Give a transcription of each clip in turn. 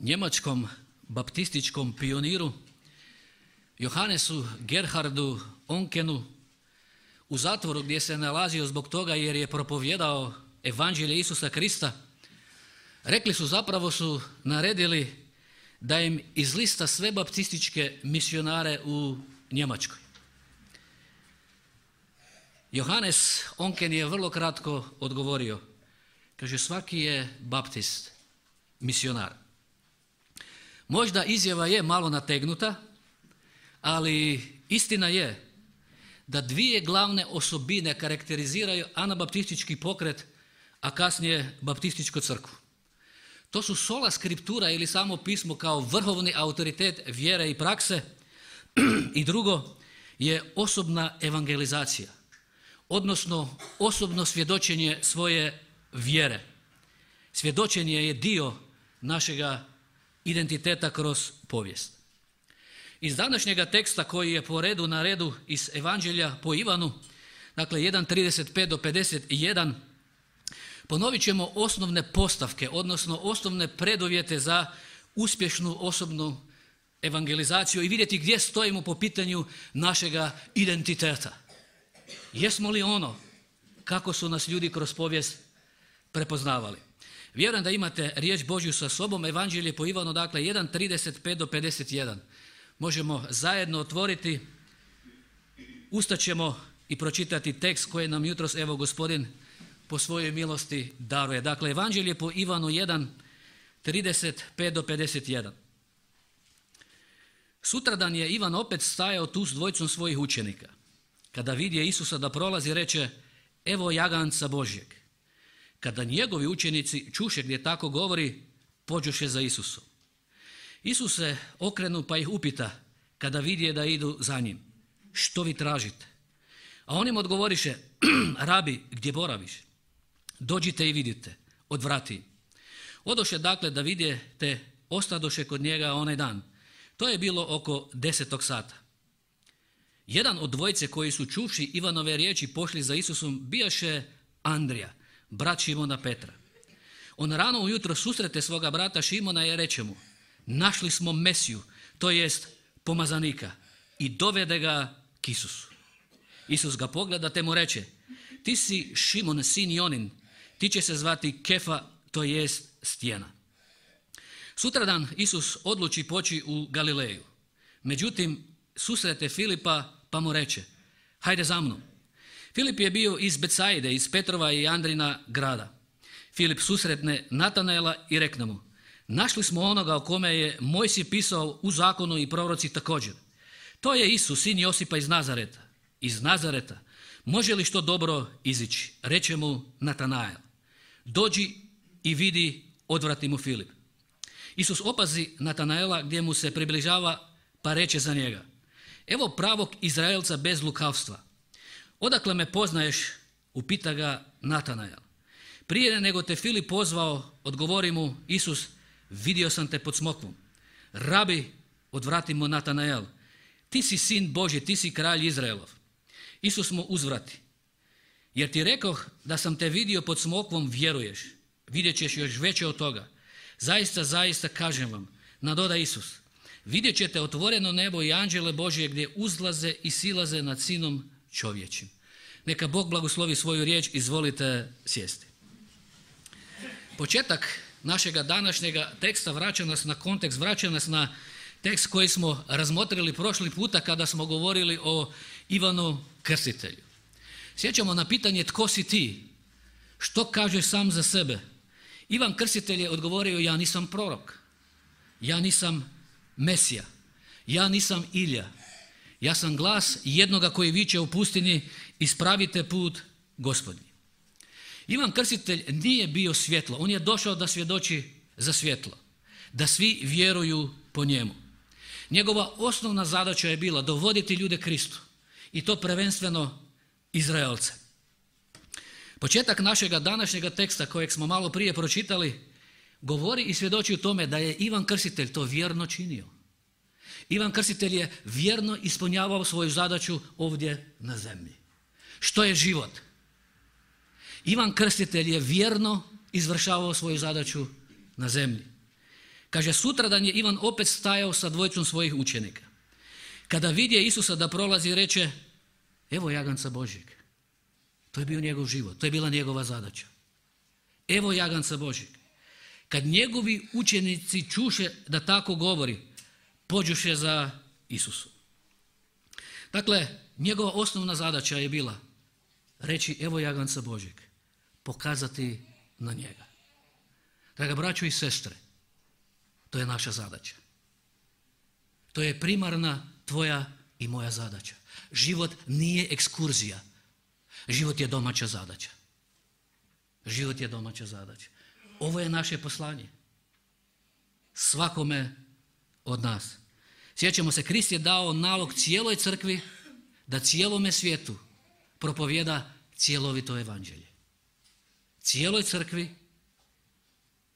njemačkom baptističkom pioniru Johannesu Gerhardu Onkenu u zatvoru gdje se nalazio zbog toga jer je propovjedao evanđelje Isusa Krista, rekli su, zapravo su naredili da im izlista sve baptističke misionare u Njemačkoj. Johannes Onken je vrlo kratko odgovorio. Kaže, svaki je baptist misionar. Možda izjava je malo nategnuta, ali istina je da dvije glavne osobine karakteriziraju anabaptistički pokret, a kasnije baptističku crkvu. To su sola skriptura ili samo pismo kao vrhovni autoritet vjere i prakse i drugo je osobna evangelizacija, odnosno osobno svjedočenje svoje vjere. Svjedočenje je dio našega identiteta kroz povijest. Iz današnjega teksta koji je po redu na redu iz Evanđelja po Ivanu, dakle 1.35 do 51, ponovit ćemo osnovne postavke, odnosno osnovne preduvjete za uspješnu osobnu evangelizaciju i vidjeti gdje stojimo po pitanju našega identiteta. Jesmo li ono kako su nas ljudi kroz povijest prepoznavali? Vjerujem da imate riječ Božju sa sobom, Evanđelje po Ivanu, dakle 1.35 do 51. Možemo zajedno otvoriti, ustaćemo i pročitati tekst koji nam jutros, evo, Gospodin po svojoj milosti daruje. Dakle, Evanđelje po Ivanu 1.35 do 51. Sutradan je Ivan opet stajao tu s dvojicom svojih učenika. Kada vidje Isusa da prolazi, reče, evo jaganca Božjeg. Kada njegovi učenici čuše gdje tako govori, pođoše za Isusom. Isus se okrenu pa ih upita, kada vidje da idu za njim, što vi tražite? A on im odgovoriše, rabi, gdje boraviš? Dođite i vidite, odvrati. Odoše dakle da vidje, te ostadoše kod njega onaj dan. To je bilo oko 10 sata. Jedan od dvojice koji su čuvši Ivanove riječi pošli za Isusom bijaše Andrija, brat Šimona Petra. On rano ujutro susrete svoga brata Šimona i reče mu, našli smo Mesiju, to jest pomazanika, i dovede ga k Isusu. Isus ga pogleda te mu reče, ti si Šimon, sin Jonin, ti će se zvati Kefa, to jest stijena. Sutradan Isus odluči poći u Galileju. Međutim, susrete Filipa pa mu reče, hajde za mnom. Filip je bio iz Betsaide, iz Petrova i Andrina grada. Filip susretne Natanaela i rekne mu, našli smo onoga o kome je Mojsije pisao u zakonu i proroci također. To je Isus, sin Josipa iz Nazareta. Iz Nazareta. Može li što dobro izići? Reče mu Natanael. Dođi i vidi, odvrati mu Filip. Isus opazi Natanaela gdje mu se približava pa reče za njega, evo pravog Izraelca bez lukavstva. Odakle me poznaješ? Upita ga Natanael. Prije nego te Filip pozvao, odgovori mu Isus, vidio sam te pod smokvom. Rabi, odvrati mu Natanael, ti si sin Božji, ti si kralj Izraelov. Isus mu uzvrati, jer ti rekoh da sam te vidio pod smokvom, vjeruješ. Vidjet ćeš još veće od toga. Zaista, zaista kažem vam, nadoda Isus, vidjet ćete otvoreno nebo i anđele Božje gdje uzlaze i silaze nad sinom čovječim. Neka Bog blagoslovi svoju riječ, izvolite sjesti. Početak našega današnjega teksta vraća nas na kontekst, vraća nas na tekst koji smo razmotrili prošli puta kada smo govorili o Ivanu Krstitelju. Sjećamo na pitanje tko si ti? Što kažeš sam za sebe? Ivan Krstitelj je odgovorio, ja nisam prorok, ja nisam Mesija, ja nisam Ilija, ja sam glas jednoga koji viče u pustinji, ispravite put Gospodnji. Ivan Krstitelj nije bio svjetlo, on je došao da svjedoči za svjetlo, da svi vjeruju po njemu. Njegova osnovna zadaća je bila dovoditi ljude Kristu i to prvenstveno Izraelce. Početak našega današnjega teksta kojeg smo malo prije pročitali govori i svjedoči u tome da je Ivan Krstitelj to vjerno činio. Ivan Krstitelj je vjerno ispunjavao svoju zadaću ovdje na zemlji. Što je život? Ivan Krstitelj je vjerno izvršavao svoju zadaću na zemlji. Kaže, sutradan je Ivan opet stajao sa dvojicom svojih učenika. Kada vidje Isusa da prolazi, reče, evo jaganca Božjeg. To je bio njegov život, to je bila njegova zadaća. Evo jaganca Božjeg. Kad njegovi učenici čuše da tako govori, pođoše za Isusom. Dakle, njegova osnovna zadaća je bila reći, evo jaganca Božjeg, pokazati na njega. Draga braćo i sestre, to je naša zadaća. To je primarna tvoja i moja zadaća. Život nije ekskurzija. Život je domaća zadaća. Život je domaća zadaća. Ovo je naše poslanje. Svakome od nas. Sjećamo se, Krist je dao nalog cijeloj crkvi da cijelome svijetu propovjeda cjelovito evanđelje. Cijeloj crkvi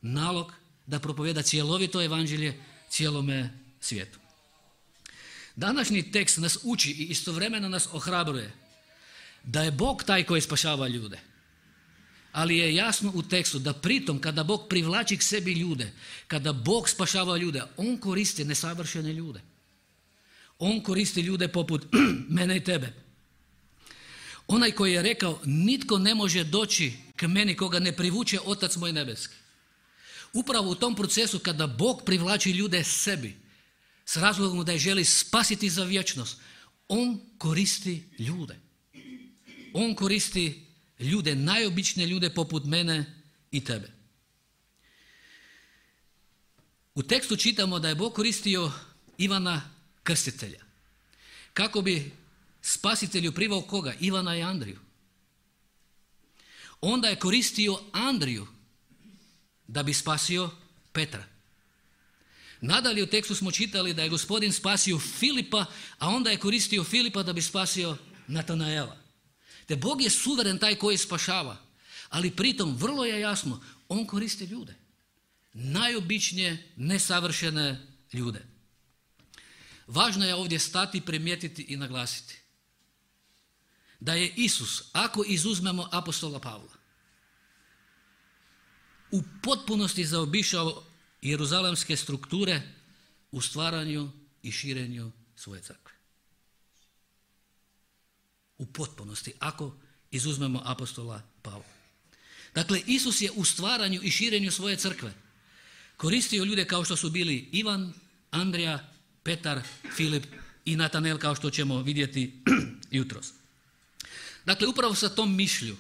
nalog da propovjeda cjelovito evanđelje cijelome svijetu. Današnji tekst nas uči i istovremeno nas ohrabruje da je Bog taj koji spašava ljude. Ali je jasno u tekstu da pritom kada Bog privlači k sebi ljude, kada Bog spašava ljude, On koristi nesavršene ljude. On koristi ljude poput mene i tebe. Onaj koji je rekao, nitko ne može doći k meni koga ne privuče Otac moj nebeski. Upravo u tom procesu kada Bog privlači ljude sebi, s razlogom da je želi spasiti za vječnost, On koristi ljude. On koristi ljude, najobičnije ljude poput mene i tebe. U tekstu čitamo da je Bog koristio Ivana Krstitelja. Kako bi spasitelju privao koga? Ivana i Andriju. Onda je koristio Andriju da bi spasio Petra. Nadalje u tekstu smo čitali da je Gospodin spasio Filipa, a onda je koristio Filipa da bi spasio Natanaela. Te Bog je suveren taj koji spašava, ali pritom vrlo je jasno, On koristi ljude. Najobičnije, nesavršene ljude. Važno je ovdje stati, primijetiti i naglasiti da je Isus, ako izuzmemo apostola Pavla, u potpunosti zaobišao jeruzalemske strukture u stvaranju i širenju svoje crkve. U potpunosti, ako izuzmemo apostola Pavla. Dakle, Isus je u stvaranju i širenju svoje crkve koristio ljude kao što su bili Ivan, Andrija, Petar, Filip i Natanel, kao što ćemo vidjeti jutros. Dakle, upravo sa tom mišlju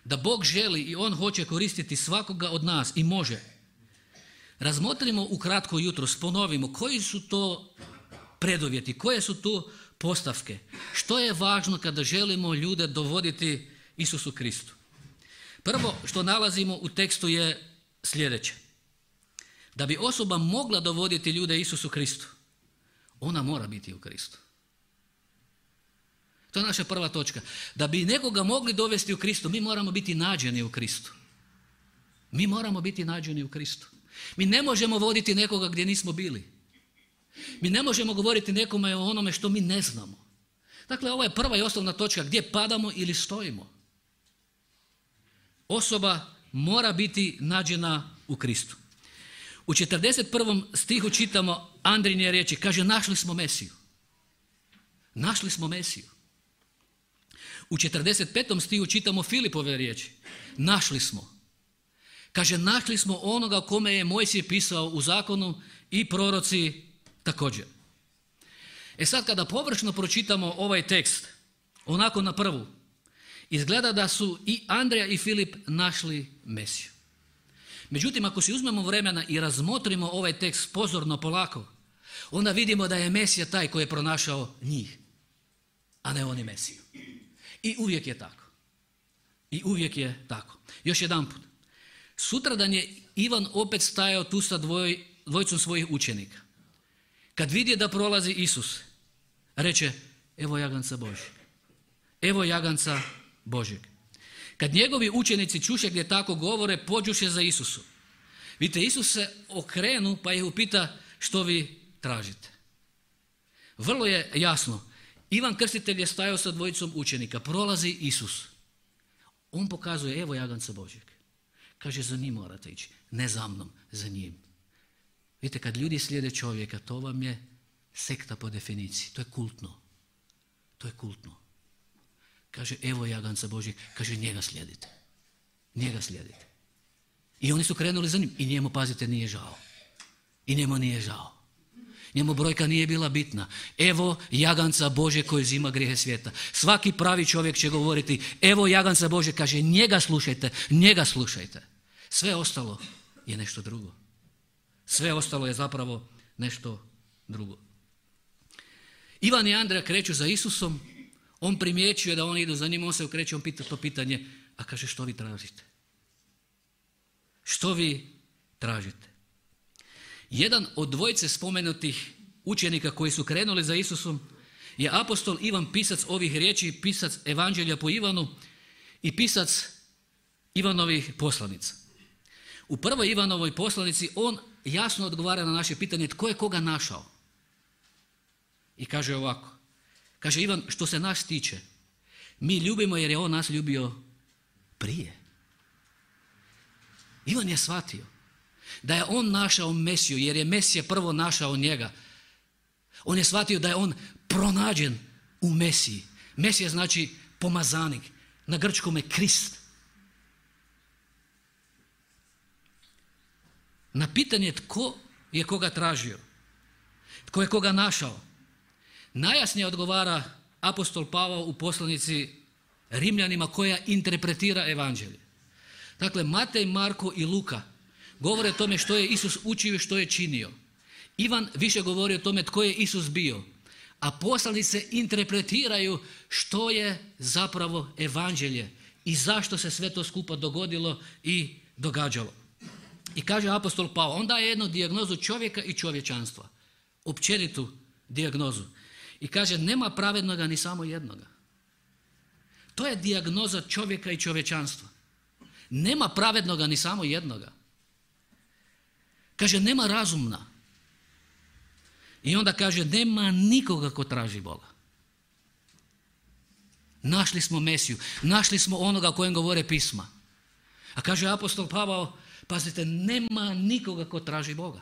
da Bog želi i On hoće koristiti svakoga od nas i može, razmotrimo ukratko jutros, ponovimo koji su to preduvjeti, koje su to postavke, što je važno kada želimo ljude dovoditi Isusu Kristu. Prvo što nalazimo u tekstu je sljedeće. Da bi osoba mogla dovoditi ljude Isusu Kristu, ona mora biti u Kristu. To je naša prva točka. Da bi nekoga mogli dovesti u Kristu, mi moramo biti nađeni u Kristu. Mi moramo biti nađeni u Kristu. Mi ne možemo voditi nekoga gdje nismo bili. Mi ne možemo govoriti nekome o onome što mi ne znamo. Dakle, ovo je prva i osnovna točka gdje padamo ili stojimo. Osoba mora biti nađena u Kristu. U 41. stihu čitamo Andrijine riječi, kaže našli smo Mesiju. Našli smo Mesiju. U 45. stihu čitamo Filipove riječi, našli smo. Kaže našli smo onoga kome je Mojsije pisao u zakonu i proroci također. E sad kada površno pročitamo ovaj tekst, onako na prvu, izgleda da su i Andrija i Filip našli Mesiju. Međutim, ako si uzmemo vremena i razmotrimo ovaj tekst pozorno, polako, onda vidimo da je Mesija taj koji je pronašao njih, a ne oni Mesiju. I uvijek je tako. I uvijek je tako. Još jedanput. Sutradan je Ivan opet stajao tu sa dvojicom svojih učenika. Kad vidje da prolazi Isus, reče, evo jaganca Božjeg. Evo jaganca Božjeg. Kad njegovi učenici čuše gdje tako govore, pođuše za Isusom. Vidite, Isus se okrenu pa ih upita što vi tražite. Vrlo je jasno. Ivan Krstitelj je stajao sa dvojicom učenika. Prolazi Isus. On pokazuje, evo jaganca Božjeg. Kaže, za njim morate ići. Ne za mnom, za njim. Vidite, kad ljudi slijede čovjeka, to vam je sekta po definiciji. To je kultno. To je kultno. Kaže, evo jaganca Božjeg, kaže, njega slijedite. Njega slijedite. I oni su krenuli za njim. I njemu, pazite, nije žao. I njemu nije žao. Njemu brojka nije bila bitna. Evo jaganca Božjeg koji uzima grijehe svijeta. Svaki pravi čovjek će govoriti, evo jaganca Božjeg, kaže, njega slušajte, njega slušajte. Sve ostalo je nešto drugo. Sve ostalo je zapravo nešto drugo. Ivan i Andreja kreću za Isusom, on primjećuje da oni idu za njim, on se okreće, on pita to pitanje, a kaže, što vi tražite? Što vi tražite? Jedan od dvojice spomenutih učenika koji su krenuli za Isusom je apostol Ivan, pisac ovih riječi, pisac Evanđelja po Ivanu i pisac Ivanovih poslanica. U prvoj Ivanovoj poslanici on jasno odgovara na naše pitanje tko je koga našao. I kaže ovako, kaže Ivan, što se nas tiče, mi ljubimo jer je on nas ljubio prije. Ivan je shvatio da je on našao Mesiju jer je Mesija prvo našao njega. On je shvatio da je on pronađen u Mesiji. Mesija znači pomazanik, na grčkome Krist. Na pitanje tko je koga tražio, tko je koga našao, najjasnije odgovara apostol Pavao u poslanici Rimljanima koja interpretira evanđelje. Dakle, Matej, Marko i Luka govore o tome što je Isus učio i što je činio. Ivan više govori o tome tko je Isus bio, a poslanice interpretiraju što je zapravo evanđelje i zašto se sve to skupa dogodilo i događalo. I kaže apostol Pavao, on daje jednu dijagnozu čovjeka i čovječanstva, općenitu dijagnozu. I kaže, nema pravednoga ni samo jednoga. To je dijagnoza čovjeka i čovječanstva. Nema pravednoga ni samo jednoga. Kaže, nema razumna. I onda kaže, nema nikoga ko traži Boga. Našli smo Mesiju, našli smo onoga o kojem govore pisma. A kaže apostol Pavao, pazite, nema nikoga ko traži Boga.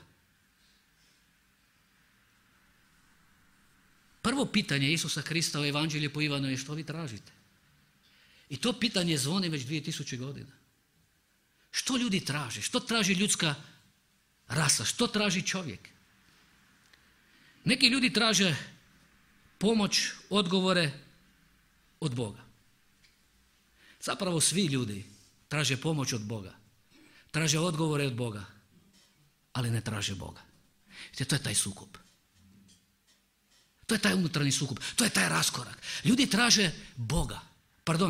Prvo pitanje Isusa Krista u Evanđelju po Ivanu je što vi tražite. I to pitanje zvoni već 2000 godina. Što ljudi traže? Što traži ljudska rasa? Što traži čovjek? Neki ljudi traže pomoć, odgovore od Boga. Zapravo svi ljudi traže pomoć od Boga. Traže odgovore od Boga, ali ne traže Boga. To je taj sukob. To je taj unutarnji sukob. To je taj raskorak. Ljudi traže Boga.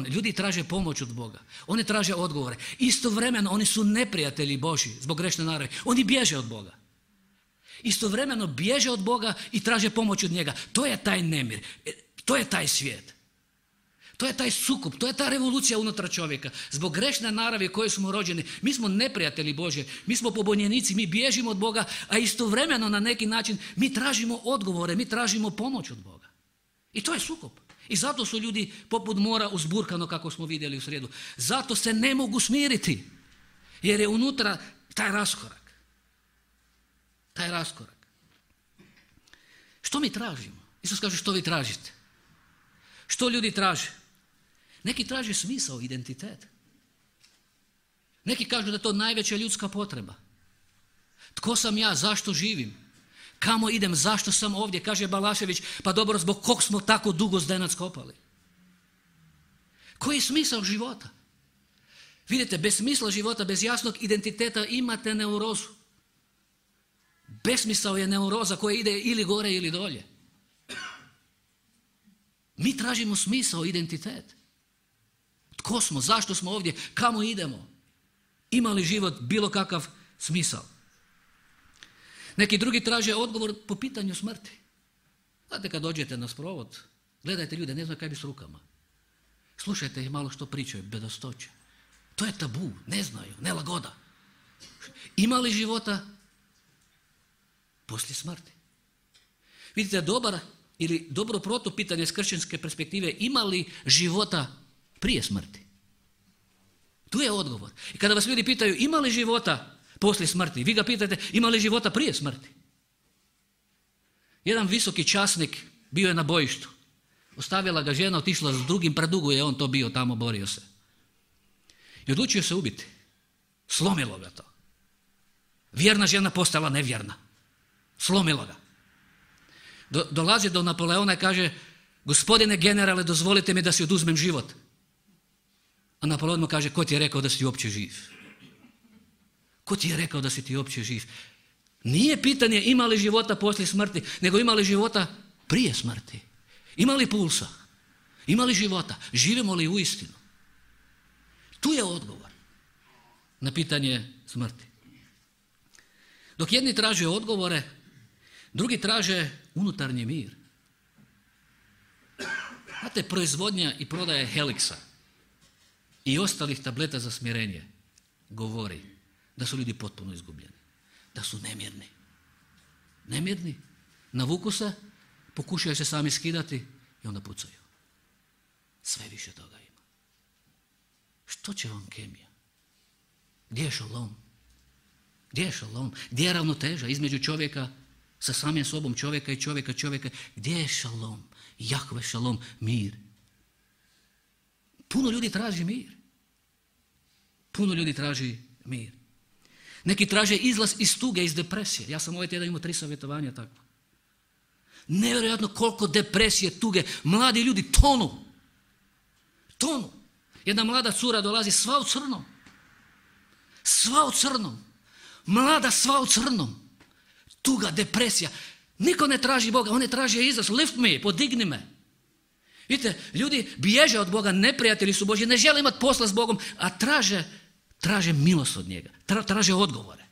Ljudi traže pomoć od Boga. Oni traže odgovore. Istovremeno oni su neprijatelji Božji zbog grešne naravi. Oni bježe od Boga. Istovremeno bježe od Boga i traže pomoć od njega. To je taj nemir. To je taj svijet. To je taj sukob, to je ta revolucija unutar čovjeka. Zbog grešne naravi koje smo rođeni, mi smo neprijatelji Božje, mi smo pobunjenici, mi bježimo od Boga, a istovremeno na neki način mi tražimo odgovore, mi tražimo pomoć od Boga. I to je sukob. I zato su ljudi poput mora uzburkano kako smo vidjeli u srijedu. Zato se ne mogu smiriti, jer je unutra taj raskorak. Taj raskorak. Što mi tražimo? Isus kaže što vi tražite? Što ljudi traže? Neki traže smisao, identitet. Neki kažu da je to najveća ljudska potreba. Tko sam ja, zašto živim? Kamo idem, zašto sam ovdje? Kaže Balašević, pa dobro, zbog kog smo tako dugo Zdenac kopali? Koji je smisao života? Vidite, bez smisla života, bez jasnog identiteta imate neurozu. Besmisao je neuroza koja ide ili gore ili dolje. Mi tražimo smisao, identitet. Tko smo, zašto smo ovdje, kamo idemo? Ima li život bilo kakav smisao? Neki drugi traže odgovor po pitanju smrti. Znate, kad dođete na sprovod, gledajte ljude, ne znaju kaj bi s rukama. Slušajte ih malo što pričaju, bedastoće. To je tabu, ne znaju, nelagoda. Ima li života poslije smrti? Vidite, dobro protupitanje s kršćanske perspektive, ima li života prije smrti? Tu je odgovor. I kada vas ljudi pitaju ima li života poslije smrti. Vi ga pitate ima li života prije smrti? Jedan visoki časnik bio je na bojištu. Ostavila ga žena, otišla s drugim, predugo je on to bio tamo, borio se. I odlučio se ubiti. Slomilo ga to. Vjerna žena postala nevjerna. Slomilo ga. Dolazi do Napoleona i kaže, gospodine generale, dozvolite mi da si oduzmem život. A Napoleon mu kaže, ko ti je rekao da si uopće živ? Ko ti je rekao da si ti uopće živ? Nije pitanje ima li života poslije smrti, nego ima li života prije smrti. Ima li pulsa? Ima li života? Živimo li uistinu? Tu je odgovor na pitanje smrti. Dok jedni traže odgovore, drugi traže unutarnji mir. Znate, proizvodnja i prodaja Helixa i ostalih tableta za smirenje govori da su ljudi potpuno izgubljeni, da su nemirni. Nemirni, navuku se, pokušaju se sami skidati i onda pucaju. Sve više toga ima. Što će vam kemija? Gdje je šalom? Gdje je šalom? Gdje je ravnoteža između čovjeka sa samim sobom, čovjeka i čovjeka? Gdje je šalom? Jahve šalom, mir. Puno ljudi traži mir. Puno ljudi traži mir. Neki traže izlaz iz tuge, iz depresije. Ja sam ovaj tjedan imao 3 savjetovanja takva. Nevjerojatno koliko depresije, tuge. Mladi ljudi tonu. Tonu. Jedna mlada cura dolazi sva u crnom. Sva u crnom. Mlada sva u crnom. Tuga, depresija. Niko ne traži Boga, on ne traži izlaz. Lift me, podigni me. Vidite, ljudi bježe od Boga, neprijatelji su Božji, ne žele imati posla s Bogom, a traže milost od njega. Traže odgovore.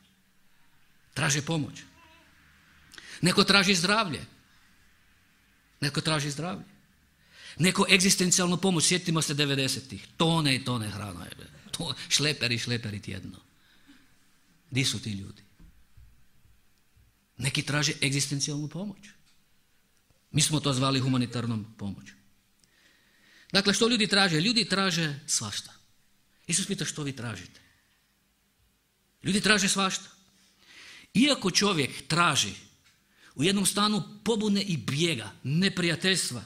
Traže pomoć. Neko traži zdravlje. Neko egzistencijalnu pomoć. Sjetimo se 90-ih. Tone i tone hrana. Šleperi tjedno. Di su ti ljudi? Neki traže egzistencijalnu pomoć. Mi smo to zvali humanitarnom pomoću. Dakle, što ljudi traže? Ljudi traže svašta. Isus pita što vi tražite. Ljudi traže svašta. Iako čovjek traži u jednom stanu pobune i bijega, neprijateljstva,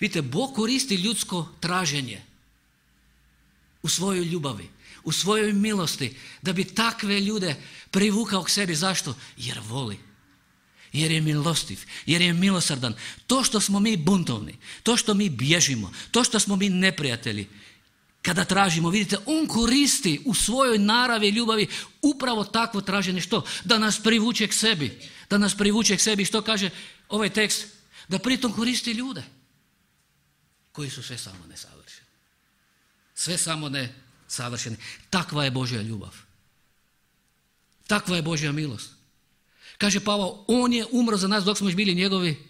vidite, Bog koristi ljudsko traženje u svojoj ljubavi, u svojoj milosti, da bi takve ljude privukao k sebi. Zašto? Jer voli. Jer je milostiv, jer je milosrdan. To što smo mi buntovni, to što mi bježimo, to što smo mi neprijatelji, kada tražimo, vidite, on koristi u svojoj naravi ljubavi upravo takvo traženje. Što? Da nas privuče k sebi. Da nas privuče k sebi. Što kaže ovaj tekst? Da pritom koristi ljude koji su sve samo nesavršeni. Sve samo nesavršeni. Takva je Božja ljubav. Takva je Božja milost. Kaže Pavao, on je umro za nas dok smo još bili njegovi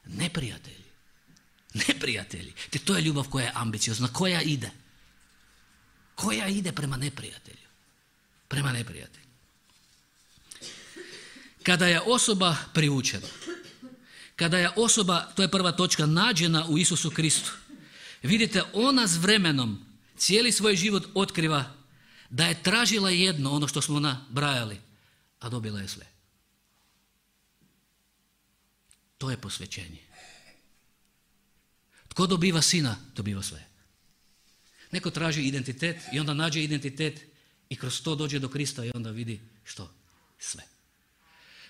neprijatelji. Neprijatelji. Te to je ljubav koja je ambiciozna, koja ide. Koja ide prema neprijatelju. Prema neprijatelju. Kada je osoba privučena, kada je osoba, to je prva točka, nađena u Isusu Kristu, vidite, ona s vremenom cijeli svoj život otkriva da je tražila jedno, ono što smo nabrajali, a dobila je sve. To je posvećenje. Tko dobiva sina, dobiva sve. Neko traži identitet i onda nađe identitet i kroz to dođe do Krista i onda vidi što? Sve.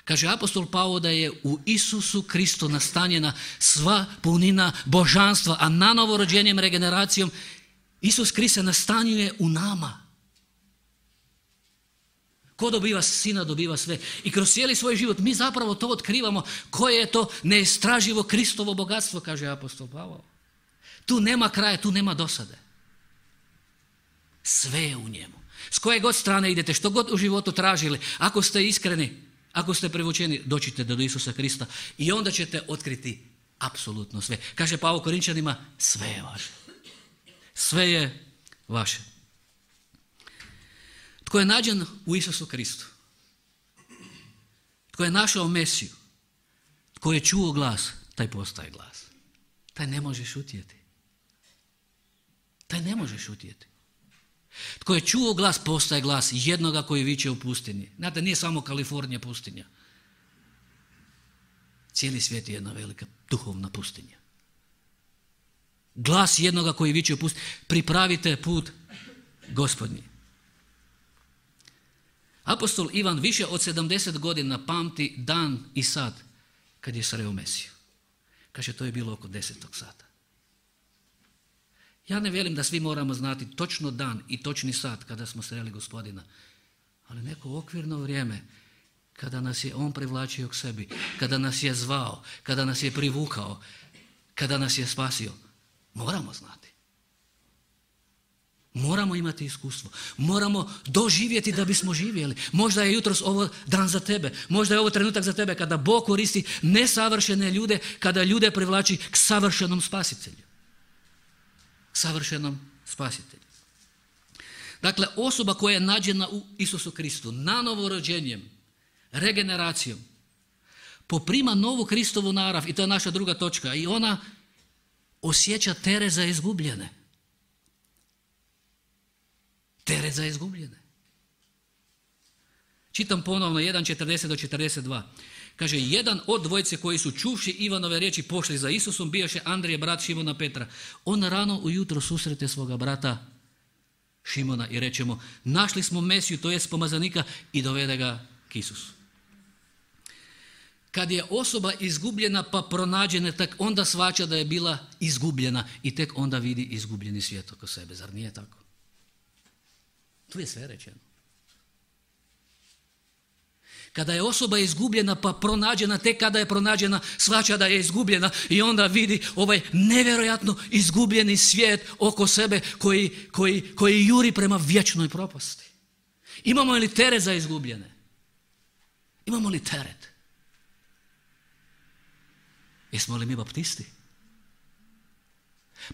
Kaže apostol Pavao da je u Isusu Kristu nastanjena sva punina božanstva, a na novorođenjem regeneracijom Isus Krist se nastanjuje u nama. Ko dobiva sina, dobiva sve. I kroz cijeli svoj život mi zapravo to otkrivamo. Koje je to neistraživo Kristovo bogatstvo, kaže apostol Pavao. Tu nema kraja, tu nema dosade. Sve je u njemu. S koje god strane idete, što god u životu tražili, ako ste iskreni, ako ste privučeni, dođite do Isusa Krista i onda ćete otkriti apsolutno sve. Kaže Pavao Korinčanima, sve je vaše. Sve je vaše. Tko je nađen u Isusu Kristu, tko je našao Mesiju, tko je čuo glas, taj postaje glas. Taj ne može šutjeti. Taj ne može šutjeti. Tko je čuo glas, postaje glas jednoga koji viče u pustinji. Znate, nije samo Kalifornija pustinja. Cijeli svijet je jedna velika duhovna pustinja. Glas jednoga koji viče u pustinji. Pripravite put Gospodnji. Apostol Ivan više od 70 godina pamti dan i sat kad je sreo Mesiju. Kaže, to je bilo oko 10. sata. Ja ne velim da svi moramo znati točno dan i točni sat kada smo sreli Gospodina, ali neko okvirno vrijeme kada nas je On privlačio k sebi, kada nas je zvao, kada nas je privukao, kada nas je spasio, moramo znati. Moramo imati iskustvo. Moramo doživjeti da bismo živjeli. Možda je jutros ovo dan za tebe. Možda je ovo trenutak za tebe kada Bog koristi nesavršene ljude, kada ljude privlači k savršenom spasitelju. Savršenom spasitelju. Dakle, osoba koja je nađena u Isusu Kristu, nanovo rođenjem, regeneracijom, poprima novu Kristovu narav, i to je naša druga točka, i ona osjeća teret za izgubljene. Teret za izgubljene. Čitam ponovno 1.40 do 42. Kaže, jedan od dvojice koji su čuvši Ivanove riječi pošli za Isusom, bijaše Andrije, brat Šimona Petra. On rano ujutro susrete svoga brata Šimona i reče mu, našli smo Mesiju, to jest pomazanika, i dovede ga k Isusu. Kad je osoba izgubljena pa pronađena, tek onda shvaća da je bila izgubljena i tek onda vidi izgubljeni svijet oko sebe. Zar nije tako? Tu je sve rečeno. Kada je osoba izgubljena pa pronađena, tek kada je pronađena shvaća da je izgubljena i onda vidi ovaj nevjerojatno izgubljeni svijet oko sebe koji juri prema vječnoj propasti. Imamo li teret za izgubljene? Imamo li teret? Jesmo li mi baptisti?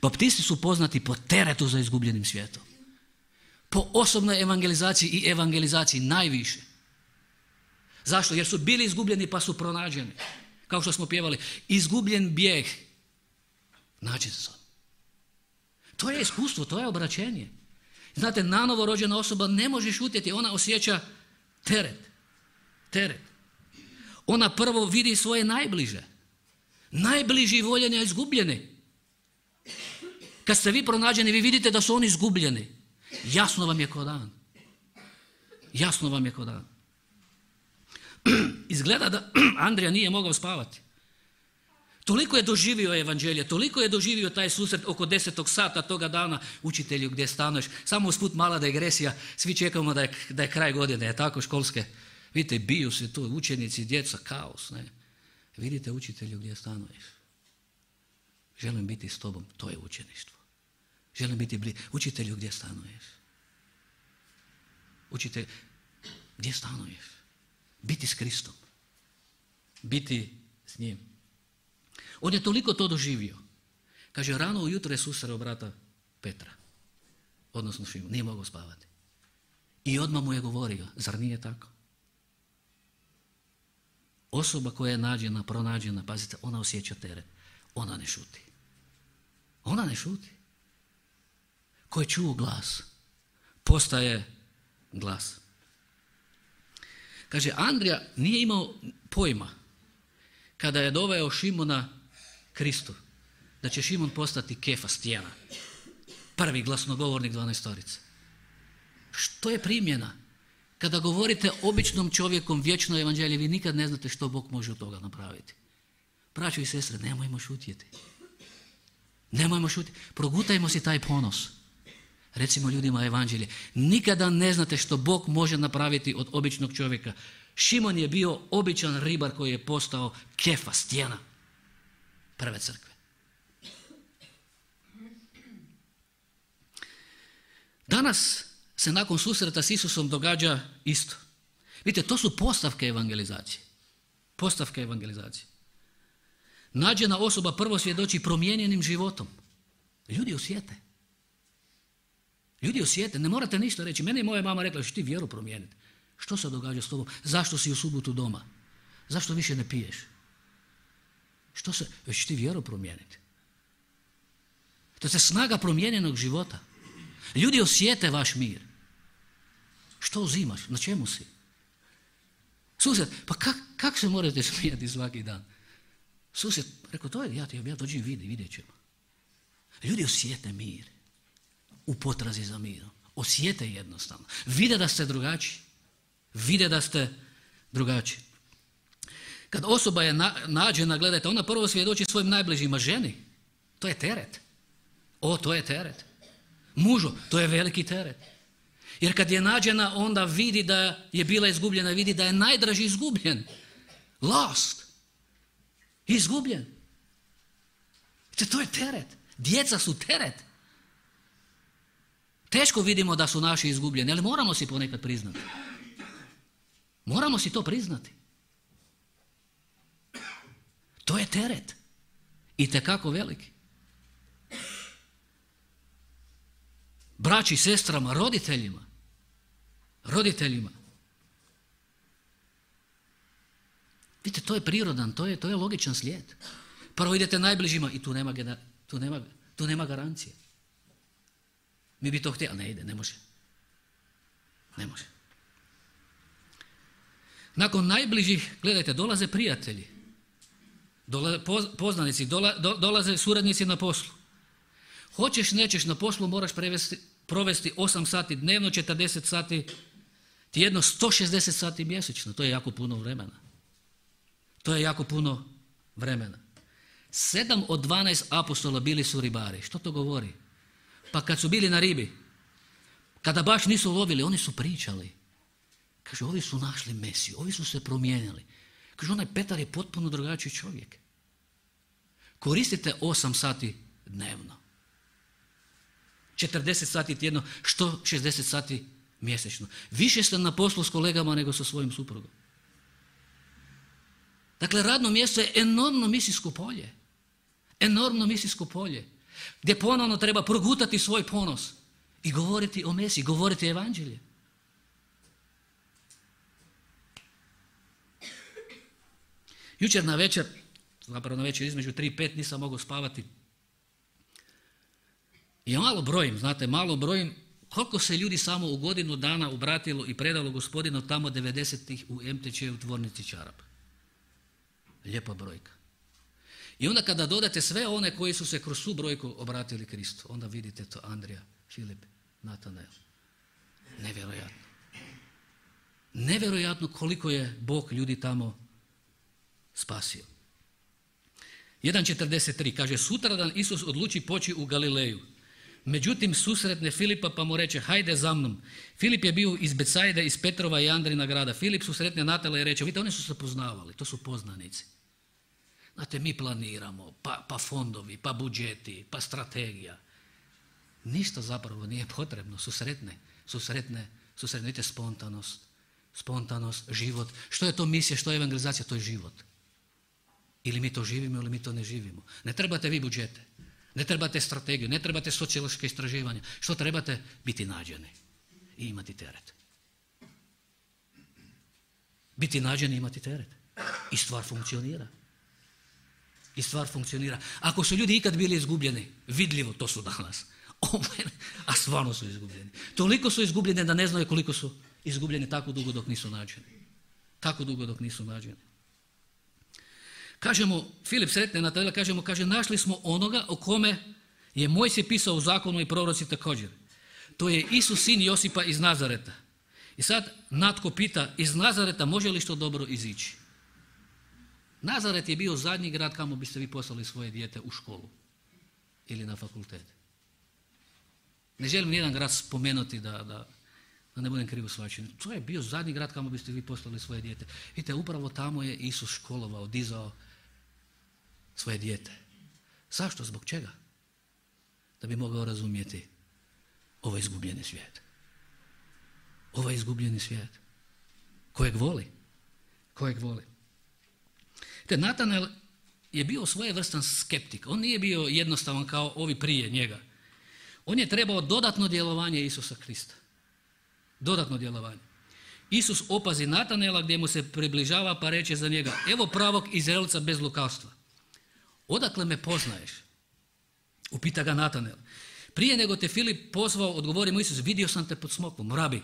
Baptisti su poznati po teretu za izgubljenim svijetom. Po osobnoj evangelizaciji i evangelizaciji najviše. Zašto? Jer su bili izgubljeni pa su pronađeni. Kao što smo pjevali, izgubljen bijeg. Nađen sam. To je iskustvo, to je obraćenje. Znate, nanovo rođena osoba ne može šutjeti, ona osjeća teret. Teret. Ona prvo vidi svoje najbliže. Najbliži voljeni, a izgubljeni. Kad ste vi pronađeni, vi vidite da su oni izgubljeni. Jasno vam je ko dan. Jasno vam je ko dan. Izgleda da Andrija nije mogao spavati. Toliko je doživio evanđelje, toliko je doživio taj susret oko 10. sata toga dana. Učitelju, gdje stanuješ? Samo usput mala digresija, svi čekamo da je kraj godine, je tako, školske. Vidite, biju se tu učenici, djeca, kaos. Ne? Vidite, učitelju, gdje stanuješ? Želim biti s tobom, to je učeništvo. Želim biti blizu. Učitelju, gdje stanuješ? Učitelj, gdje stanuješ? Biti s Kristom. Biti s njim. On je toliko to doživio. Kaže, rano ujutro je susreo brata Petra. Odnosno Šimona. Nije mogao spavati. I odmah mu je govorio, zar nije tako? Osoba koja je nađena, pronađena, pazite, ona osjeća teret. Ona ne šuti. Ona ne šuti. Ko je čuo glas, postaje glas. Kaže, Andrija nije imao pojma kada je doveo Šimona Kristu, da će Šimon postati Kefa, stijena. Prvi glasnogovornik 12-torice. Što je primjena? Kada govorite običnom čovjekom vječno evanđelje, vi nikad ne znate što Bog može od toga napraviti. Braćo i sestre, nemojmo šutjeti. Nemojmo šutjeti. Progutajmo si taj ponos. Recimo ljudima evanđelje. Nikada ne znate što Bog može napraviti od običnog čovjeka. Šimon je bio običan ribar koji je postao Kefa, stijena prve crkve. Danas se nakon susreta s Isusom događa isto. Vidite, to su postavke evangelizacije. Postavke evangelizacije. Nađena osoba prvo svjedoči promijenjenim životom. Ljudi osjete. Ljudi osjete, ne morate ništa reći. Meni je moja mama rekla, što ti vjeru promijeniti. Što se događa s tobom? Zašto si u subotu doma? Zašto više ne piješ? Već ti vjeru promijeniti. To je snaga promijenjenog života. Ljudi osjete vaš mir. Što uzimaš? Na čemu si? Susjed, pa kak se morate smijati svaki dan? Susjed, rekao, to je, ja dođem vidjet ćemo. Ljudi osjete mir u potrazi za mirom. Osjete jednostavno. Vide da ste drugačiji. Vide da ste drugačiji. Kad osoba je nađena, gledajte, ona prvo svjedoči svojim najbližima, ženi. To je teret. To je teret. Mužu, to je veliki teret. Jer kad je nađena, onda vidi da je bila izgubljena, vidi da je najdraži izgubljen. Lost. Izgubljen. To je teret. Djeca su teret. Teško vidimo da su naši izgubljeni, ali moramo si ponekad priznati. Moramo si to priznati. To je teret. Itekako veliki. Braći, sestrama, roditeljima. Vidite, to je prirodan, to je logičan slijed. Prvo idete najbližima i tu nema garancije. Mi bi to htjeli, ali ne ide, ne može. Nakon najbližih, gledajte, dolaze prijatelji, poznanici, dolaze suradnici na poslu. Hoćeš, nećeš, na poslu moraš provesti 8 sati dnevno, 40 sati tjedno, 160 sati mjesečno. To je jako puno vremena. 7 od 12 apostola bili su ribari. Što to govori? Pa kad su bili na ribi, kada baš nisu lovili, oni su pričali. Kaže, ovi su našli Mesiju, ovi su se promijenili. Kaže, onaj Petar je potpuno drugačiji čovjek. Koristite 8 sati dnevno. 40 sati tjedno, 160 sati mjesečno. Više ste na poslu s kolegama nego sa svojim suprugom. Dakle, radno mjesto je enormno misijsko polje. Gdje ponovno treba progutati svoj ponos i govoriti o Mesiji, govoriti evanđelje. Jučer na večer između 3 i 5 nisam mogao spavati. I malo brojim koliko se ljudi samo u godinu dana obratilo i predalo Gospodinu tamo 90-ih u MTČ u tvornici čarapa. Lijepa brojka. I onda kada dodate sve one koji su se kroz tu brojku obratili Kristu, onda vidite to Andrija, Filip, Natanael. Nevjerojatno koliko je Bog ljudi tamo spasio. 1.43 kaže, sutradan Isus odluči poći u Galileju. Međutim, susretne Filipa pa mu reče, hajde za mnom. Filip je bio iz Becajde, iz Petrova i Andrina grada. Filip susretne Natanaela i reče, vidite, oni su se poznavali, to su poznanici. Znate, mi planiramo, pa fondovi, pa budžeti, pa strategija. Ništa zapravo nije potrebno, susretne, vidite, spontanost, život. Što je to misija, što je evangelizacija? To je život. Ili mi to živimo, ili mi to ne živimo. Ne trebate vi budžete, ne trebate strategiju, ne trebate sociološke istraživanja. Što trebate? Biti nađeni i imati teret. Biti nađeni i imati teret. I stvar funkcionira. Ako su ljudi ikad bili izgubljeni, vidljivo, to su danas. A stvarno su izgubljeni. Toliko su izgubljeni da ne znaju koliko su izgubljeni tako dugo dok nisu nađeni. Kažemo, Filip sretne Natanaela, kaže, našli smo onoga o kome je Mojsije pisao u zakonu i proroci također. To je Isus, sin Josipa iz Nazareta. I sad Natko pita, iz Nazareta može li što dobro izići? Nazaret je bio zadnji grad kamo biste vi poslali svoje dijete u školu ili na fakultet. Ne želim nijedan grad spomenuti da ne budem krivo shvaćen. To je bio zadnji grad kamo biste vi poslali svoje dijete. Vidite, upravo tamo je Isus školovao, dizao svoje dijete. Zašto? Zbog čega? Da bi mogao razumjeti ovaj izgubljeni svijet. Kojeg voli. Te Natanael je bio svojevrstan skeptik. On nije bio jednostavan kao ovi prije njega. On je trebao dodatno djelovanje Isusa Krista. Dodatno djelovanje. Isus opazi Natanaela gdje mu se približava pa reče za njega, evo pravog Izraelca bez lukavstva. Odakle me poznaješ? Upita ga Natanael. prije nego te Filip pozvao, odgovori mu Isus, vidio sam te pod smokvom, rabi,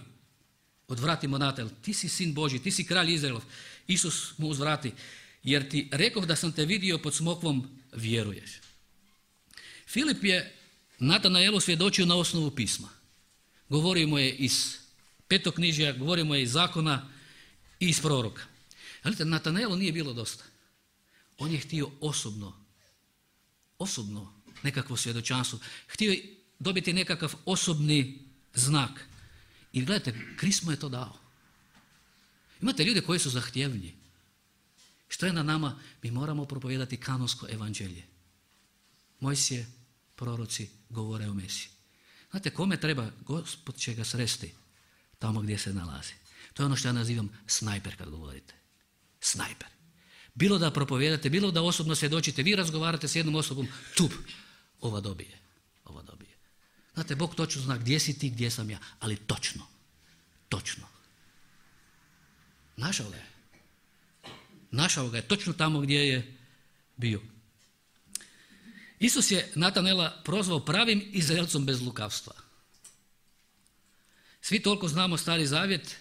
odvrati mu natel, ti si sin Božji, ti si kralj Izraelov. Isus mu uzvrati, jer ti rekoh da sam te vidio pod smokvom, vjeruješ. Filip je Natanaelu svjedočio na osnovu pisma. Govorio mu je iz petoknjižja, govorio mu je iz zakona i iz proroka. Gledajte, Natanaelu nije bilo dosta. On je htio osobno nekakvo svjedočanstvo. Htio je dobiti nekakav osobni znak. I gledajte, Krist mu je to dao. Imate ljude koji su zahtjevni. Što je na nama? Mi moramo propovijedati kanonsko evanđelje. Mojsije, proroci govore o Mesiji. Znate, kome treba? Gospod će ga sresti tamo gdje se nalazi. To je ono što ja nazivam snajper kad govorite. Snajper. Bilo da propovijedate, bilo da osobno svjedočite, vi razgovarate s jednom osobom, tup, ova dobije. Znate, Bog točno zna gdje si ti, gdje sam ja, ali točno. Našao ga je točno tamo gdje je bio. Isus je Natanaela prozvao pravim Izraelcom bez lukavstva. Svi toliko znamo Stari Zavjet,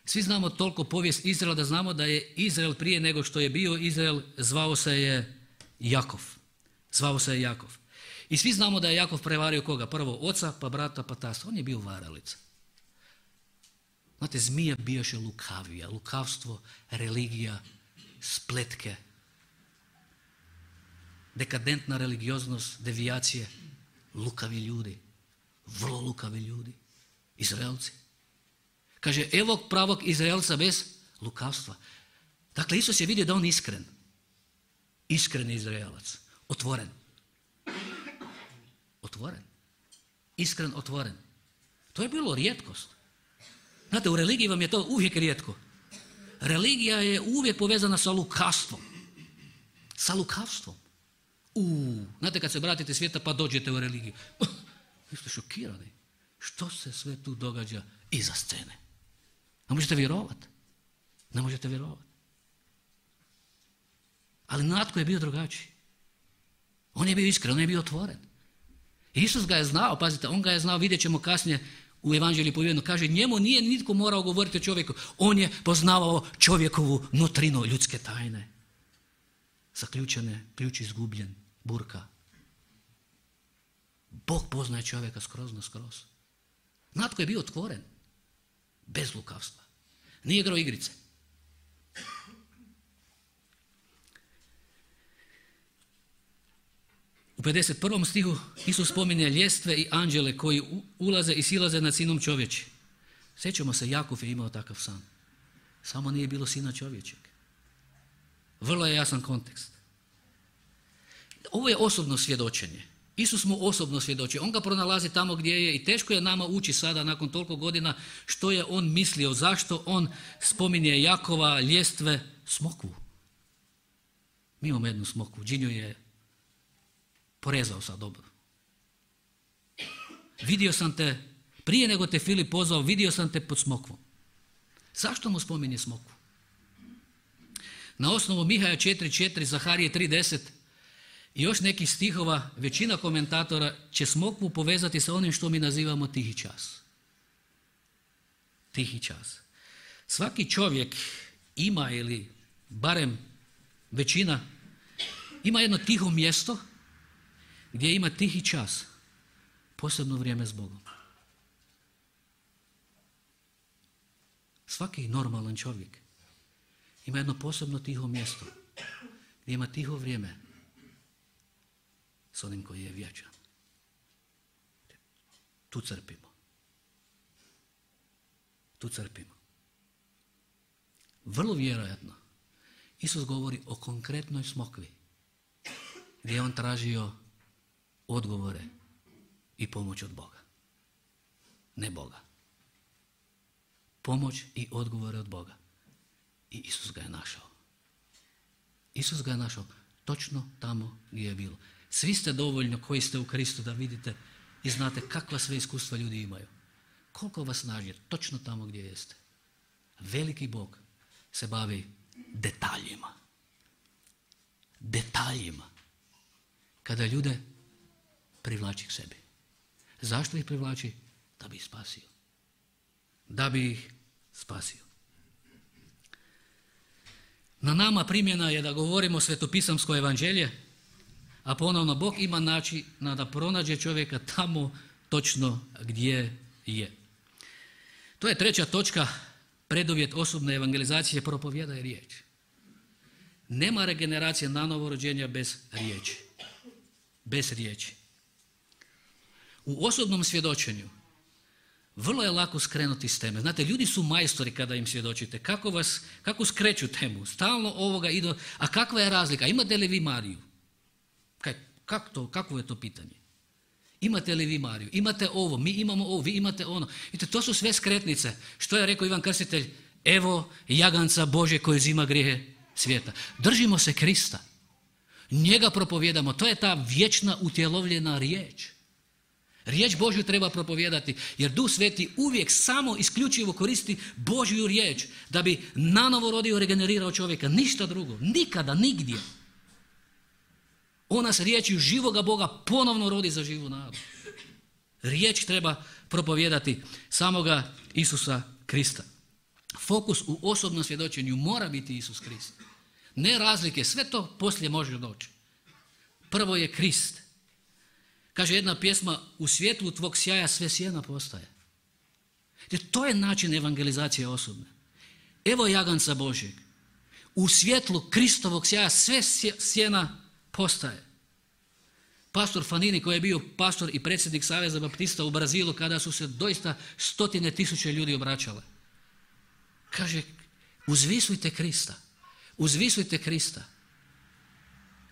svi znamo toliko povijest Izraela da znamo da je Izrael prije nego što je bio Izrael zvao se je Jakov. I svi znamo da je Jakov prevario koga? Prvo oca, pa brata, pa tasta. On je bio varalica. Znate, zmija bijaše lukavija, lukavstvo, religija, spletke, dekadentna religioznost, devijacije, lukavi ljudi, vrlo lukavi ljudi, Izraelci. Kaže, evo pravog Izraelca bez lukavstva. Dakle, Isus je vidio da on iskren Izraelac, otvoren, iskren, otvoren. To je bilo rijetkost. Znate, u religiji vam je to uvijek rijetko. Religija je uvijek povezana sa lukavstvom. Znate, kad se vratite svijeta pa dođete u religiju. Vi ste šokirani. Što se sve tu događa iza scene? Ne možete vjerovati. Ali Natko je bio drugačiji. On je bio iskren, on je bio otvoren. Isus ga je znao, pazite, on ga je znao, vidjet ćemo kasnije u Evanđelju povjedeno, kaže, njemu nije nitko morao govoriti o čovjeku, on je poznavao čovjekovu nutrinu, ljudske tajne. Zaključene, ključ izgubljen, burka. Bog poznaje čovjeka skroz. Natko je bio otvoren, bez lukavstva. Nije igrao igrice. U 51. stihu Isus spominje ljestve i anđele koji ulaze i silaze nad sinom čovječim. Sjećamo se, Jakov je imao takav san. Samo nije bilo sina čovječeg. Vrlo je jasan kontekst. Ovo je osobno svjedočenje. Isus mu osobno svjedoči. On ga pronalazi tamo gdje je i teško je nama ući sada nakon toliko godina što je on mislio, zašto on spominje Jakova, ljestve, smokvu. Mi imamo jednu smokvu, Đinju je porezao sad dobro. Vidio sam te, prije nego te Filip pozvao, vidio sam te pod smokvom. Zašto mu spominje smokvu? Na osnovu Mihaja 4.4, Zaharije 3.10 i još nekih stihova, većina komentatora će smokvu povezati sa onim što mi nazivamo tihi čas. Tihi čas. Svaki čovjek ima, ili barem većina, ima jedno tiho mjesto gdje ima tihi čas, posebno vrijeme s Bogom. Svaki normalan čovjek ima jedno posebno tiho mjesto gdje ima tiho vrijeme s onim koji je vječan. Tu crpimo. Vrlo vjerojatno Isus govori o konkretnoj smokvi gdje je on tražio odgovore i pomoć od Boga. Ne Boga. Pomoć i odgovore od Boga. I Isus ga je našao točno tamo gdje je bilo. Svi ste dovoljno koji ste u Kristu da vidite i znate kakva sve iskustva ljudi imaju. Koliko vas snaži točno tamo gdje jeste. Veliki Bog se bavi detaljima. Kada ljude privlači k sebi. Zašto ih privlači? Da bi ih spasio. Da bi ih spasio. Na nama primjena je da govorimo svetopisamsko evanđelje, a ponovno Bog ima načina da pronađe čovjeka tamo točno gdje je. To je treća točka, preduvjet osobne evangelizacije, propovijedaj riječ. Nema regeneracije na novorođenja bez riječi. Bez riječi. U osobnom svjedočenju vrlo je lako skrenuti s teme. Znate, ljudi su majstori kada im svjedočite. Kako skreću temu? Stalno ovoga idu. A kakva je razlika? Imate li vi Mariju? Kakvo je to pitanje? Imate li vi Mariju? Imate ovo, mi imamo ovo, vi imate ono. Vidite, to su sve skretnice. Što je rekao Ivan Krstitelj? Evo jaganca Božje koji uzima grijehe svijeta. Držimo se Krista. Njega propovijedamo. To je ta vječna utjelovljena riječ. Riječ Božju treba propovijedati, jer Duh Sveti uvijek samo isključivo koristi Božju riječ da bi nanovo rodio, regenerirao čovjeka. Ništa drugo. Nikada, nigdje. On nas riječju živoga Boga ponovno rodi za živu nadu. Riječ treba propovijedati samoga Isusa Krista. Fokus u osobnom svjedočenju mora biti Isus Krist. Ne razlike, sve to poslije može doći. Prvo je Krist. Kaže jedna pjesma, u svjetlu tvog sjaja sve sjena postaje. Jer to je način evangelizacije osobne. Evo jaganca Božjeg. U svjetlu Kristovog sjaja sve sjena postaje. Pastor Fanini, koji je bio pastor i predsjednik Saveza Baptista u Brazilu, kada su se doista 100.000 ljudi obraćale, kaže, uzvisujte Krista. Uzvisujte Krista.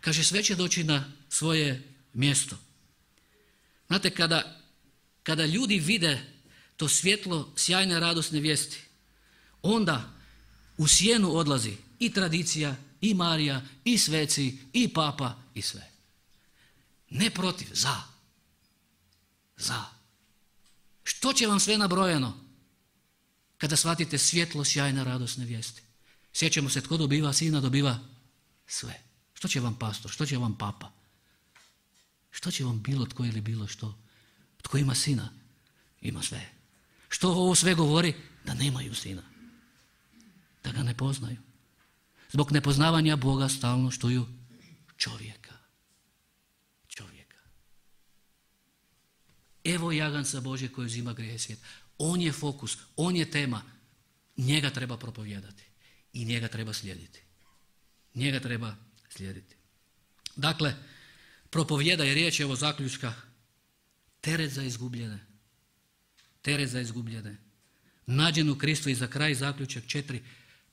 Kaže, sve će doći na svoje mjesto. Znate, kada ljudi vide to svjetlo sjajne radosne vijesti, onda u sjenu odlazi i tradicija, i Marija, i sveci, i papa, i sve. Ne protiv, za. Za. Što će vam sve nabrojeno kada shvatite svjetlo sjajne radosne vijesti? Sjećamo se, tko dobiva sina, dobiva sve. Što će vam pastor, što će vam papa? Što će vam bilo tko ili bilo što? Tko ima sina, ima sve. Što ovo sve govori? Da nemaju sina. Da ga ne poznaju. Zbog nepoznavanja Boga stalno štuju čovjeka. Čovjeka. Evo jaganca Božje koji uzima grijehe svijeta. On je fokus, on je tema. Njega treba propovijedati. I njega treba slijediti. Njega treba slijediti. Dakle, propovijedaj riječ, evo zaključka, teret za izgubljene. Teret za izgubljene. Nađen u Kristu i za kraj zaključak 4,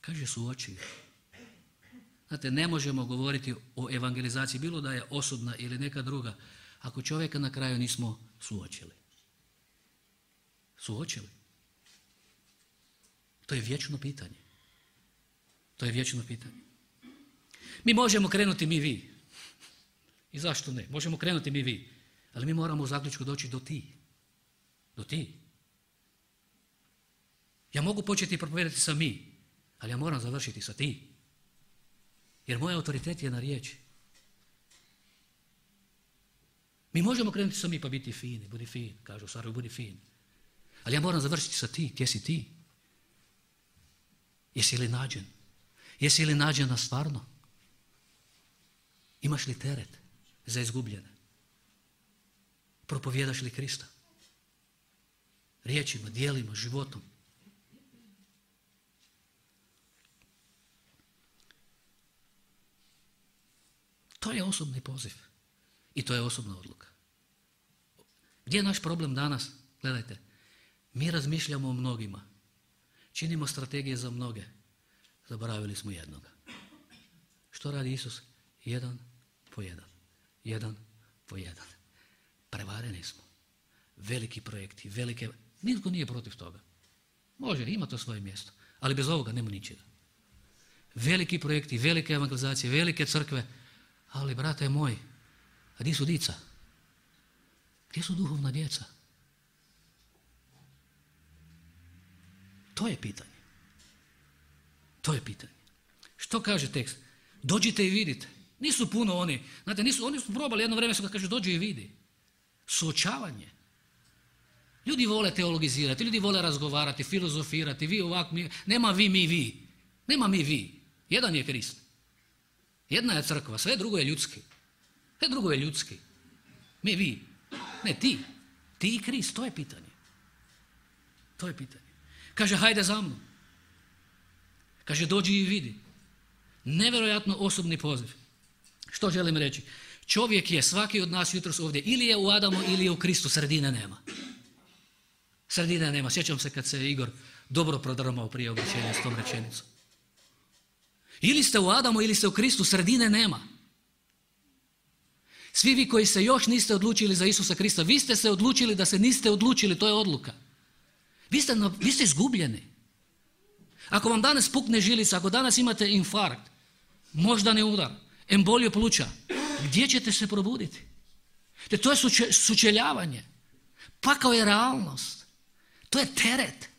kaže suoči. Znate, ne možemo govoriti o evangelizaciji, bilo da je osobna ili neka druga, ako čovjeka na kraju nismo suočili. Suočili. To je vječno pitanje. To je vječno pitanje. Mi možemo krenuti mi vi. I zašto ne? Možemo krenuti mi vi. Ali mi moramo u zaključku doći do ti. Do ti. Ja mogu početi propovijedati sa mi, ali ja moram završiti sa ti. Jer moj autoritet je na riječi. Mi možemo krenuti sa mi pa biti fini, budi fin, kažu u Sarajevu, budi fin. Ali ja moram završiti sa ti, gdje si ti? Jesi li nađen? Jesi li nađena stvarno? Imaš li teret za izgubljene? Propovijedaš li Krista? Riječima, djelima, životom. To je osobni poziv. I to je osobna odluka. Gdje je naš problem danas? Gledajte, mi razmišljamo o mnogima. Činimo strategije za mnoge. Zaboravili smo jednoga. Što radi Isus? Jedan po jedan. Jedan po jedan. Prevareni smo. Veliki projekti, velike... Nitko nije protiv toga. Može, ima to svoje mjesto. Ali bez ovoga nema ničega. Veliki projekti, velike evangelizacije, velike crkve. Ali, brate moj, a gdje su dica? Gdje su duhovna djeca? To je pitanje. To je pitanje. Što kaže tekst? Dođite i vidite. Nisu puno oni. Znate, oni su probali jedno vrijeme su ga kaže dođi i vidi. Suočavanje. Ljudi vole teologizirati, ljudi vole razgovarati, filozofirati, vi ovak, nema vi, mi, vi. Nema mi, vi. Jedan je Krist. Jedna je crkva, sve drugo je ljudski. Sve drugo je ljudski. Mi, vi. Ne, ti. Ti i Krist, to je pitanje. To je pitanje. Kaže, hajde za mnom. Kaže, dođi i vidi. Nevjerojatno osobni poziv. Što želim reći? Čovjek je, svaki od nas jutros ovdje, ili je u Adamu ili je u Kristu, sredine nema. Sredine nema. Sjećam se kad se Igor dobro prodrmao prije obraćenja s tom rečenicom. Ili ste u Adamu ili ste u Kristu, sredine nema. Svi vi koji se još niste odlučili za Isusa Krista, vi ste se odlučili da se niste odlučili, to je odluka. Vi ste izgubljeni. Ako vam danas pukne žilica, ako danas imate infarkt, moždani udar, emboliju pluća, gdje ćete se probuditi? To je sučeljavanje. Pakao je realnost. To je teret.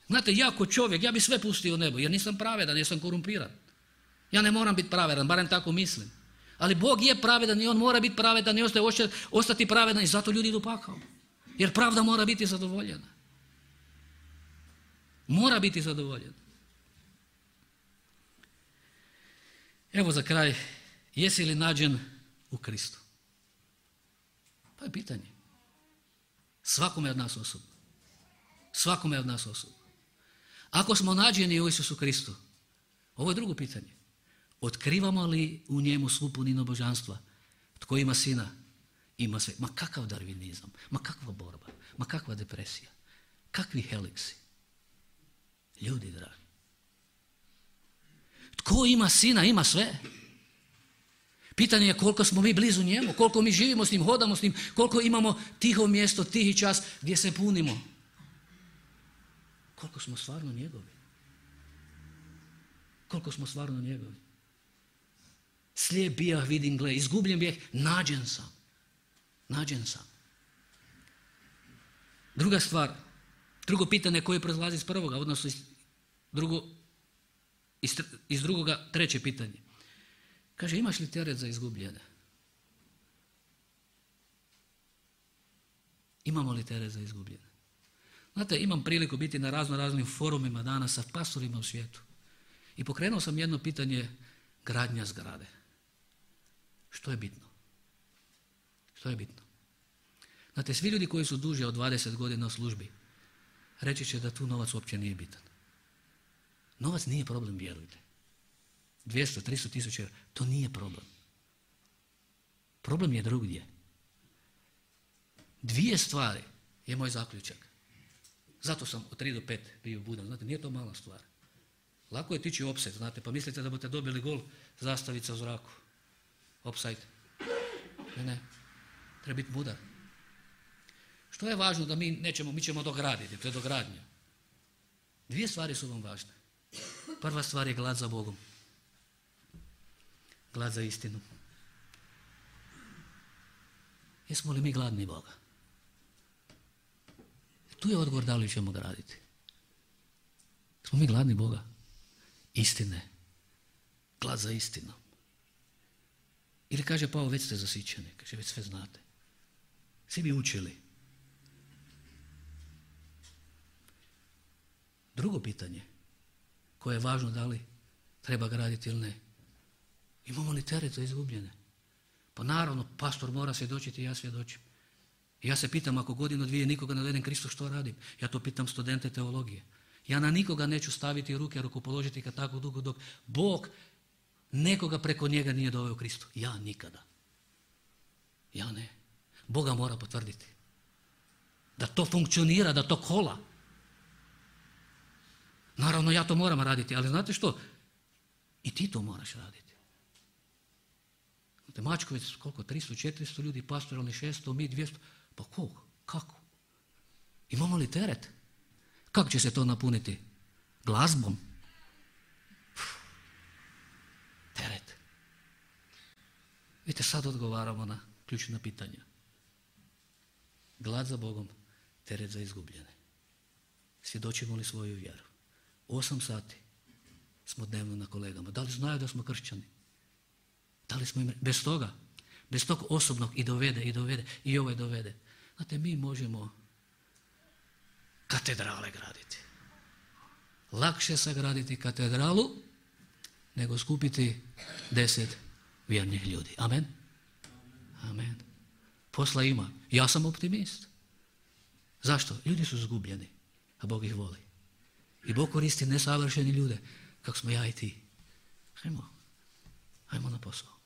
Znate, ja kao čovjek, ja bi sve pustio u nebo, jer nisam pravedan, jer sam korumpiran. Ja ne moram biti pravedan, barem tako mislim. Ali Bog je pravedan i On mora biti pravedan i ostati pravedan i zato ljudi idu pakao. Jer pravda mora biti zadovoljena. Mora biti zadovoljena. Evo za kraj, jesi li nađen u Kristu? To je pitanje. Svakome od nas osobno. Svakome od nas osobno. Ako smo nađeni u Isusu Kristu, ovo je drugo pitanje. Otkrivamo li u njemu svu puninu božanstva? Tko ima sina, ima sve. Ma kakav darvinizam, ma kakva borba, ma kakva depresija, kakvi heliksi. Ljudi dragi. Tko ima sina, ima sve. Pitanje je koliko smo mi blizu njemu, koliko mi živimo s njim, hodamo s njim, koliko imamo tiho mjesto, tihi čas gdje se punimo. Koliko smo stvarno njegovi. Koliko smo stvarno njegovi. Slijep bijah, vidim, gle, izgubljen bijah, nađen sam. Nađen sam. Druga stvar, drugo pitanje koje proizlazi iz prvoga, odnosno iz drugoga, treće pitanje. Kaže, imaš li teret za izgubljene? Imamo li teret za izgubljene? Znate, imam priliku biti na raznim forumima danas sa pastorima u svijetu. I pokrenuo sam jedno pitanje, gradnja zgrade. Što je bitno? Što je bitno? Znate, svi ljudi koji su duže od 20 godina u službi, reći će da tu novac uopće nije bitan. Novac nije problem, vjerujte. 200, 300 tisuća eura, to nije problem. Problem je drugdje. Dvije stvari je moj zaključak. Zato sam od 3 do 5 bio budan. Znate, nije to mala stvar. Lako je tići offset, znate, pa mislite da budete dobili gol, zastavica u zraku. Offside. Ne. Treba biti mudar. Što je važno da mi ćemo dograditi, to je dogradnja. Dvije stvari su vam važne. Prva stvar je glad za Bogom. Glad za istinu. Jesmo li mi gladni Boga? Tu je odgovor da li ćemo graditi. Smo mi gladni Boga? Istine. Glad za istinom. Ili kaže Pavao, već ste zasićeni, kaže već sve znate. Svi bi učili. Drugo pitanje, koje je važno da li treba graditi ili ne. Imamo li teret za izgubljene? Pa naravno, pastor mora svjedočiti i ja svjedočim. I ja se pitam, ako godinu, dvije nikoga ne dovedem Kristu, što radim? Ja to pitam studente teologije. Ja na nikoga neću staviti ruke, rukopoložiti kad tako dugo dok Bog nekoga preko njega nije doveo Kristu. Ja nikada. Ja ne. Boga mora potvrditi. Da to funkcionira, da to kola. Naravno, ja to moram raditi, ali znate što? I ti to moraš raditi. Znate, Mačkovec, koliko? 300, 400 ljudi, pastoralni 600, mi 200. Pa koliko? Kako? Imamo li teret? Kako će se to napuniti? Glazbom? Teret. Vidite, sad odgovaramo na ključna pitanja. Glad za Bogom, teret za izgubljene. Svjedočimo li svoju vjeru? 8 sati smo dnevno na kolegama. Da li znaju da smo kršćani? Da li smo im... Bez tog osobnog i dovede, i ovaj dovede. Znate, mi možemo katedrale graditi. Lakše sagraditi katedralu nego skupiti 10 vjernih ljudi. Amen? Amen. Posla ima. Ja sam optimist. Zašto? Ljudi su zgubljeni, a Bog ih voli. I Bog koristi nesavršeni ljude, kako smo ja i ti. Ajmo na posao.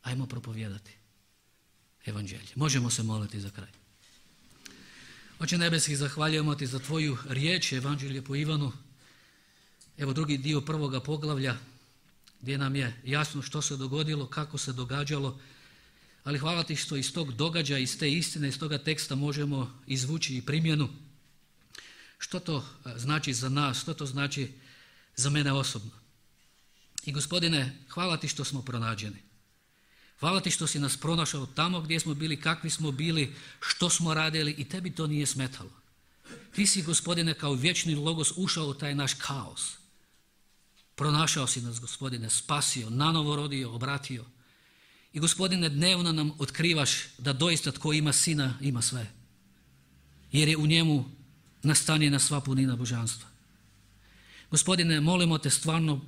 Ajmo propovijedati evanđelje. Možemo se moliti za kraj. Oče nebeski, zahvaljujemo ti za tvoju riječ, evanđelje po Ivanu. Evo drugi dio prvoga poglavlja, gdje nam je jasno što se dogodilo, kako se događalo. Ali hvala ti što iz tog događaja, iz te istine, iz toga teksta možemo izvući i primjenu. Što to znači za nas, što to znači za mene osobno. I Gospodine, hvala ti što smo pronađeni. Hvala ti što si nas pronašao tamo gdje smo bili, kakvi smo bili, što smo radili i tebi to nije smetalo. Ti si, Gospodine, kao vječni logos ušao u taj naš kaos. Pronašao si nas, Gospodine, spasio, nanovo rodio, obratio. I Gospodine, dnevno nam otkrivaš da doista tko ima Sina ima sve. Jer je u njemu nastanjena sva punina božanstva. Gospodine, molimo te stvarno,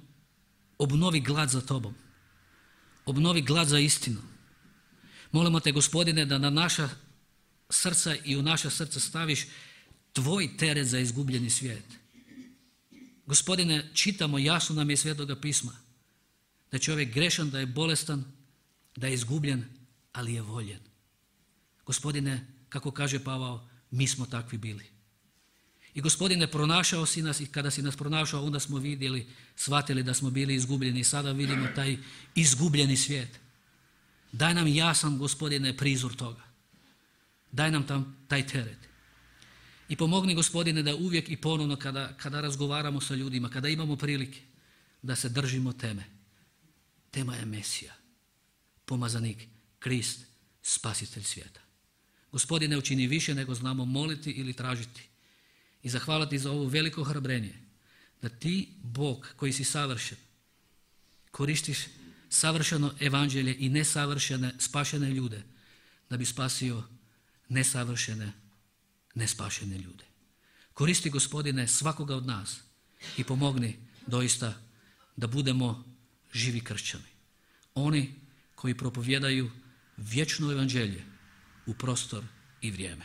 obnovi glad za tobom. Obnovi glad za istinu. Molimo te, Gospodine, da na naša srca i u naša srca staviš tvoj teret za izgubljeni svijet. Gospodine, čitamo, jasno nam je Svetoga pisma, da je čovjek grešan, da je bolestan, da je izgubljen, ali je voljen. Gospodine, kako kaže Pavao, mi smo takvi bili. I Gospodine, pronašao si nas i kada si nas pronašao, onda smo vidjeli, shvatili da smo bili izgubljeni i sada vidimo taj izgubljeni svijet. Daj nam jasan, Gospodine, prizor toga. Daj nam taj teret. I pomogni, Gospodine, da uvijek i ponovno kada razgovaramo sa ljudima, kada imamo prilike, da se držimo teme. Tema je Mesija, pomazanik, Krist, spasitelj svijeta. Gospodine, učini više nego znamo moliti ili tražiti. I zahvaliti za ovo veliko hrabrenje, da ti, Bog koji si savršen, koristiš savršeno evanđelje i nesavršene, spašene ljude, da bi spasio nesavršene, nespašene ljude. Koristi, Gospodine, svakoga od nas i pomogni doista da budemo živi kršćani. Oni koji propovjedaju vječno evanđelje u prostor i vrijeme.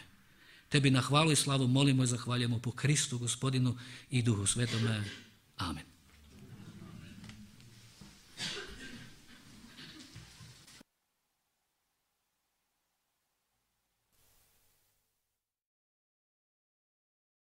Tebi na hvalu i slavu molimo i zahvaljujemo po Kristu, Gospodinu i Duhu Svetome. Amen.